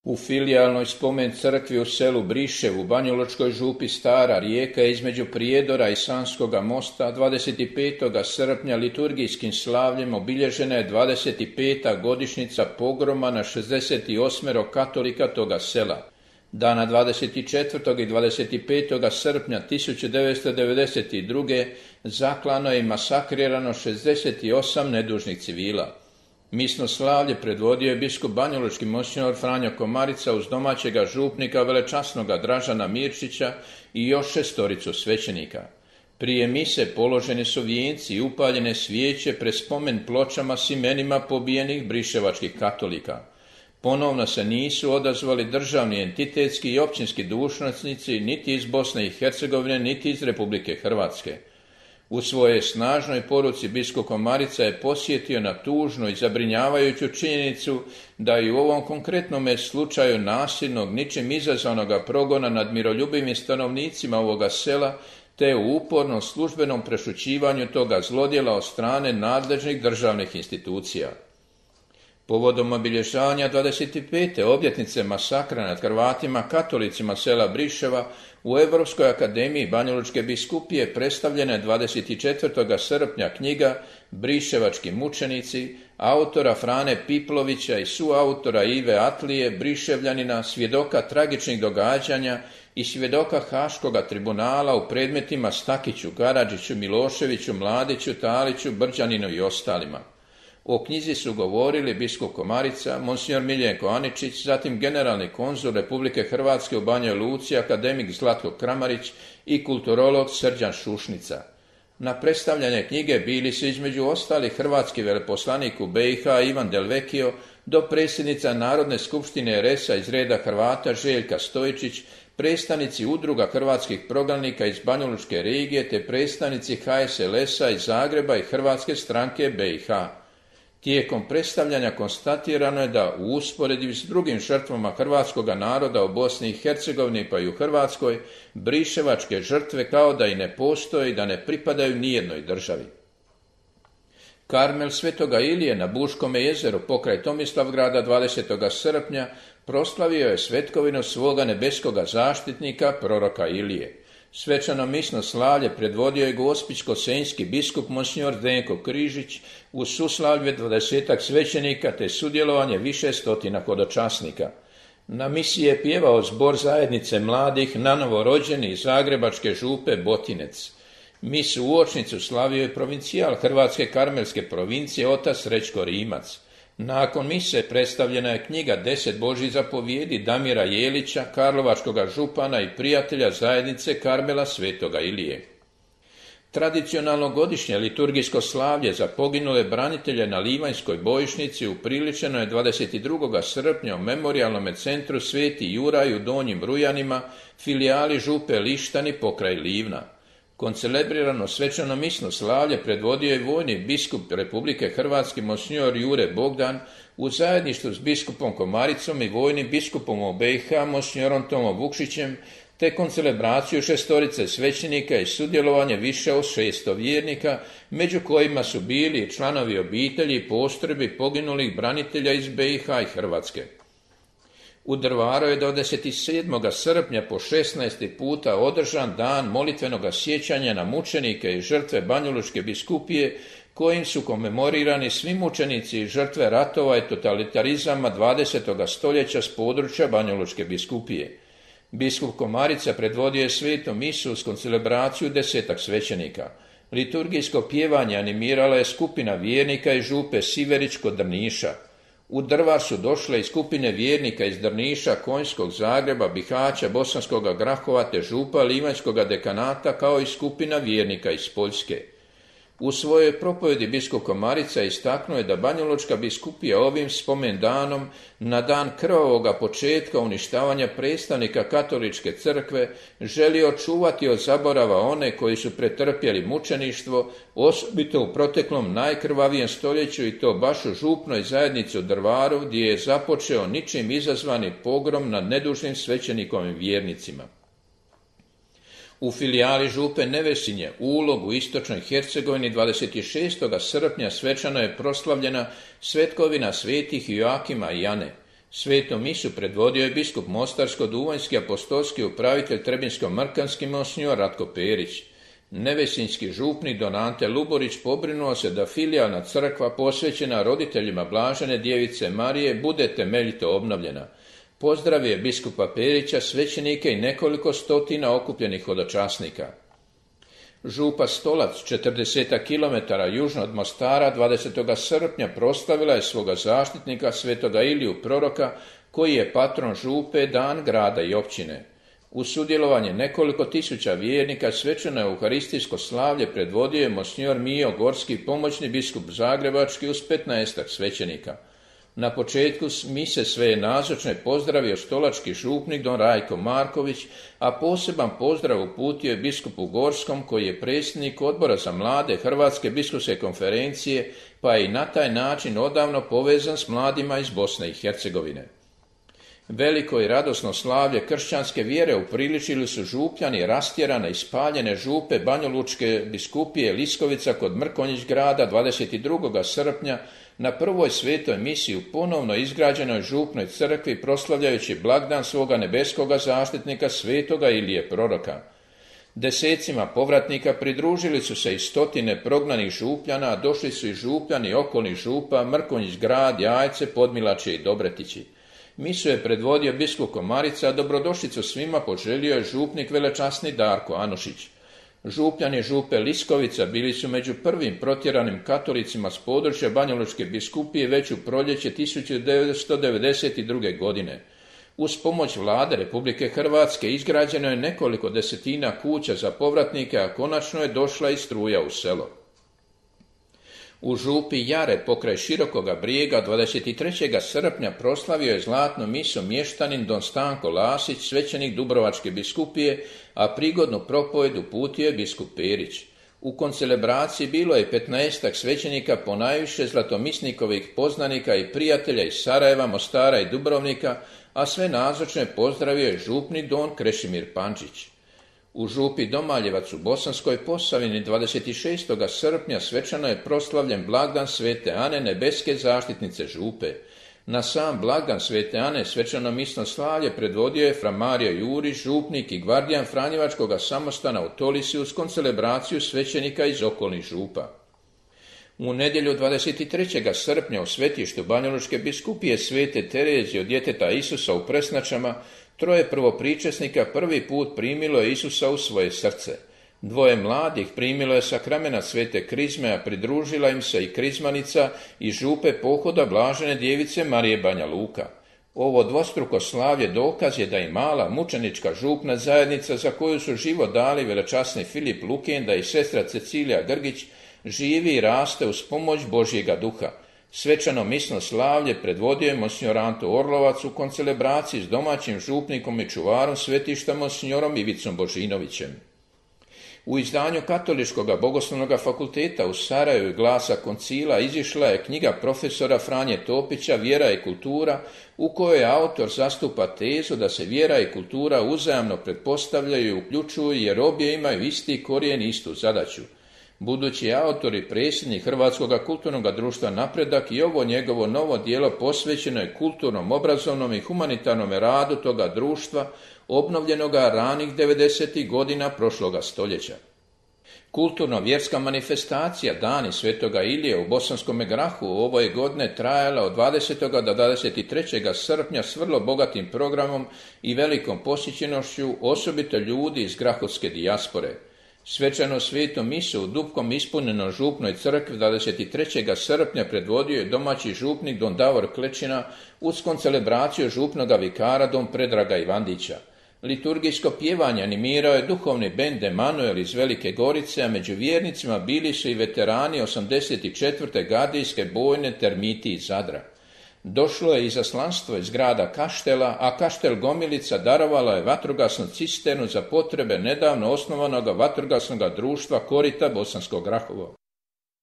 U filijalnoj spomen crkvi u selu Brišev u Banjalučkoj župi Stara Rijeka između Prijedora i Sanskoga mosta 25. srpnja liturgijskim slavljem obilježena je 25. godišnjica pogroma na 68 katolika toga sela. Dana 24. i 25. srpnja 1992. zaklano je i masakrirano 68 nedužnih civila. Misno slavlje predvodio je biskup banjalučki monsignor Franjo Komarica uz domaćega župnika velečasnoga Dražana Mirčića i još 6 svećenika. Prije mise položeni su vijenci i upaljene svijeće pred spomen pločama s imenima pobijenih briševačkih katolika. Ponovno se nisu odazvali državni, entitetski i općinski dužnosnici niti iz Bosne i Hercegovine, niti iz Republike Hrvatske. U svojoj snažnoj poruci biskup Komarica je posjetio na tužnu i zabrinjavajuću činjenicu da i u ovom konkretnom slučaju nasilnog, ničim izazvanoga progona nad miroljubivim stanovnicima ovoga sela, te u upornom službenom prešućivanju toga zlodjela od strane nadležnih državnih institucija. Povodom obilježavanja 25. obljetnice masakra nad Hrvatima katolicima sela Briševa u Europskoj akademiji Banjalučke biskupije predstavljena je 24. srpnja knjiga Briševački mučenici autora Frane Piplovića i suautora Ive Atlije, Briševljanina, svjedoka tragičnih događanja i svjedoka Haškoga tribunala u predmetima Stakiću, Karadžiću, Miloševiću, Mladiću, Taliću, Brđaninu i ostalima. O knjizi su govorili biskup Komarica, monsignor Miljenko Aničić, zatim generalni konzul Republike Hrvatske u Banjoj Luci, akademik Zlatko Kramarić i kulturolog Srđan Šušnica. Na predstavljanje knjige bili su između ostalih hrvatski veleposlanik u BiH Ivan Delvekio, do predsjednica Narodne skupštine RS-a iz reda Hrvata Željka Stojičić, predstavnici udruga hrvatskih prognanika iz Banjalučke regije te predstavnici HSLS-a iz Zagreba i Hrvatske stranke BiH. Tijekom predstavljanja konstatirano je da u usporedbi s drugim žrtvama hrvatskoga naroda u Bosni i Hercegovini pa i u Hrvatskoj, briševačke žrtve kao da i ne postoje i da ne pripadaju nijednoj državi. Karmel Svetoga Ilije na Buškome jezeru pokraj Tomislavgrada 20. srpnja proslavio je svetkovinu svoga nebeskoga zaštitnika, proroka Ilije. Svečano misno slavlje predvodio je gospićko-senjski biskup monsignor Zdenko Križić uz suslavlje 20 svećenika te sudjelovanje više stotina hodočasnika. Na misiji je pjevao zbor zajednice mladih nanovo rođeni iz zagrebačke župe Botinec. Misu uočnicu slavio je provincijal Hrvatske karmelske provincije otac Srećko Rimac. Nakon mise predstavljena je knjiga 10 Božjih zapovjedi Damira Jelića, karlovačkoga župana i prijatelja zajednice Karmela Svetoga Ilije. Tradicionalno godišnje liturgijsko slavlje za poginule branitelje na Livanjskoj bojišnici upriličeno je 22. srpnja u Memorijalnom centru Sveti Juraj u Donjim Rujanima, filijali župe Lištani pokraj Livna. Koncelebrirano svečano misno slavlje predvodio je vojni biskup Republike Hrvatske monsignor Jure Bogdan u zajedništvu s biskupom Komaricom i vojnim biskupom u BiH monsignorom Tomom Vukšićem, te koncelebraciju 6 svećenika i sudjelovanje više od 600 vjernika, među kojima su bili i članovi obitelji i postrojbi poginulih branitelja iz BiH i Hrvatske. U Drvaru je 27. srpnja po 16. puta održan dan molitvenoga sjećanja na mučenike i žrtve Banjalučke biskupije, kojim su komemorirani svi mučenici i žrtve ratova i totalitarizama 20. stoljeća s područja Banjalučke biskupije. Biskup Komarica predvodio je svetu misu s koncelebraciju 10 svećenika. Liturgijsko pjevanje animirala je skupina vjernika iz župe Siverić kod Drniša. U Drvar su došle i skupine vjernika iz Drniša, Konjskog, Zagreba, Bihaća, Bosanskoga Grahova te župa Livanjskoga dekanata kao i skupina vjernika iz Poljske. U svojoj propovjedi biskup Komarica istaknuo je da Banjalučka biskupija ovim spomendanom na dan krvavoga početka uništavanja predstavnika katoličke crkve želi očuvati od zaborava one koji su pretrpjeli mučeništvo, osobito u proteklom najkrvavijem stoljeću i to baš u župnoj zajednici u Drvaru gdje je započeo ničim izazvani pogrom nad nedužnim svećenikovim vjernicima. U filijali župe Nevesinje, Ulog u istočnoj Hercegovini 26. srpnja svečano je proslavljena svetkovina svetih Joakima i Jane. Svetu misu predvodio je biskup mostarsko-duvanjski apostolski upravitelj trebinsko-mrkanski monsignor Ratko Perić. Nevesinjski župnik don Ante Luborić pobrinuo se da filijalna crkva posvećena roditeljima Blažene djevice Marije bude temeljito obnovljena. Pozdravio je biskupa Perića, svećenike i nekoliko stotina okupljenih hodočasnika. Župa Stolac, 40 km južno od Mostara, 20. srpnja proslavila je svoga zaštitnika svetoga Iliju proroka, koji je patron župe, dan grada i općine. U sudjelovanje nekoliko tisuća vjernika svečano euharistijsko slavlje predvodio je monsignor Mijo Gorski, pomoćni biskup zagrebački, uz 15 svećenika. Na početku mise sve je nazočne pozdravio stolački župnik don Rajko Marković, a poseban pozdrav uputio je biskupu Gorskom, koji je predsjednik odbora za mlade Hrvatske biskupske konferencije, pa je i na taj način odavno povezan s mladima iz Bosne i Hercegovine. Veliko i radosno slavlje kršćanske vjere upriličili su župljani rastjerane i spaljene župe Banjolučke biskupije Liskovica kod Mrkonjić grada 22. srpnja na prvoj svetoj misiji u ponovno izgrađenoj župnoj crkvi, proslavljajući blagdan svoga nebeskoga zaštitnika svetoga Ilije proroka. Desecima povratnika pridružili su se i stotine prognanih župljana, a došli su i župljani okolnih župa Mrkonjić grad, Jajce, Podmilače i Dobretići. Misu je predvodio biskup Komarica, a dobrodošlicu svima poželio je župnik velečasni Darko Anušić. Župljani župe Liskovica bili su među prvim protjeranim katolicima s područja Banjalučke biskupije već u proljeće 1992. godine. Uz pomoć vlade Republike Hrvatske izgrađeno je nekoliko desetina kuća za povratnike, a konačno je došla i struja u selo. U župi Jare pokraj Širokoga Brijega 23. srpnja proslavio je zlatnu misu mještanin don Stanko Lasić, svećenik Dubrovačke biskupije, a prigodnu propovjed uputio je biskup Perić. U koncelebraciji bilo je 15 svećenika, ponajviše zlatomisnikovih poznanika i prijatelja iz Sarajeva, Mostara i Dubrovnika, a sve nazočne pozdravio je župnik don Krešimir Pančić. U župi Domaljevac u Bosanskoj Posavini 26. srpnja svečano je proslavljen blagdan svete Ane, nebeske zaštitnice župe. Na sam blagdan svete Ane svečano misno slavlje predvodio je fra Mario Jurić, župnik i gvardijan Franjevačkoga samostana u Tolisi, uz koncelebraciju svećenika iz okolnih župa. U nedjelju 23. srpnja u svetištu Banjalučke biskupije svete Terezije od djeteta Isusa u Presnačama troje prvopričesnika prvi put primilo je Isusa u svoje srce. Dvoje mladih primilo je sakramena svete krizme, a pridružila im se i krizmanica iz župe pohoda Blažene djevice Marije Banja Luka. Ovo dvostruko slavlje dokaz je da i mala mučenička župna zajednica, za koju su život dali velečasni Filip Lukenda i sestra Cecilija Grgić, živi i raste uz pomoć Božjega duha. Svečano misno slavlje predvodio je monsignor Anto Orlovac u koncelebraciji s domaćim župnikom i čuvarom svetišta monsignorom Ivicom Božinovićem. U izdanju Katoličkog bogoslovnog fakulteta u Sarajevu i Glasa koncila izišla je knjiga profesora Franje Topića Vjera i kultura, u kojoj autor zastupa tezu da se vjera i kultura uzajamno pretpostavljaju i uključuju, jer obje imaju isti korijen i istu zadaću. Budući autor i predsjednik Hrvatskog kulturnog društva Napredak, i ovo njegovo novo djelo posvećeno je kulturnom, obrazovnom i humanitarnom radu toga društva, obnovljenoga ranih 90. godina prošloga stoljeća. Kulturno-vjerska manifestacija Dani svetoga Ilije u Bosanskom Grahu ovo je godine trajala od 20. do 23. srpnja s vrlo bogatim programom i velikom posjećenošću, osobito ljudi iz grahovske dijaspore. Svečano svetu misu u dupkom ispunjenoj župnoj crkvi 23. srpnja predvodio je domaći župnik don Davor Klečina uz koncelebraciju župnoga vikara don Predraga Ivandića. Liturgijsko pjevanje animirao je duhovni bend Emanuel iz Velike Gorice, a među vjernicima bili su i veterani 84. gardijske bojne Termiti iz Zadra. Došlo je izaslanstvo iz grada Kaštela, a Kaštel Gomilica darovala je vatrogasnu cisternu za potrebe nedavno osnovanog vatrogasnog društva Korita Bosanskog Grahovo.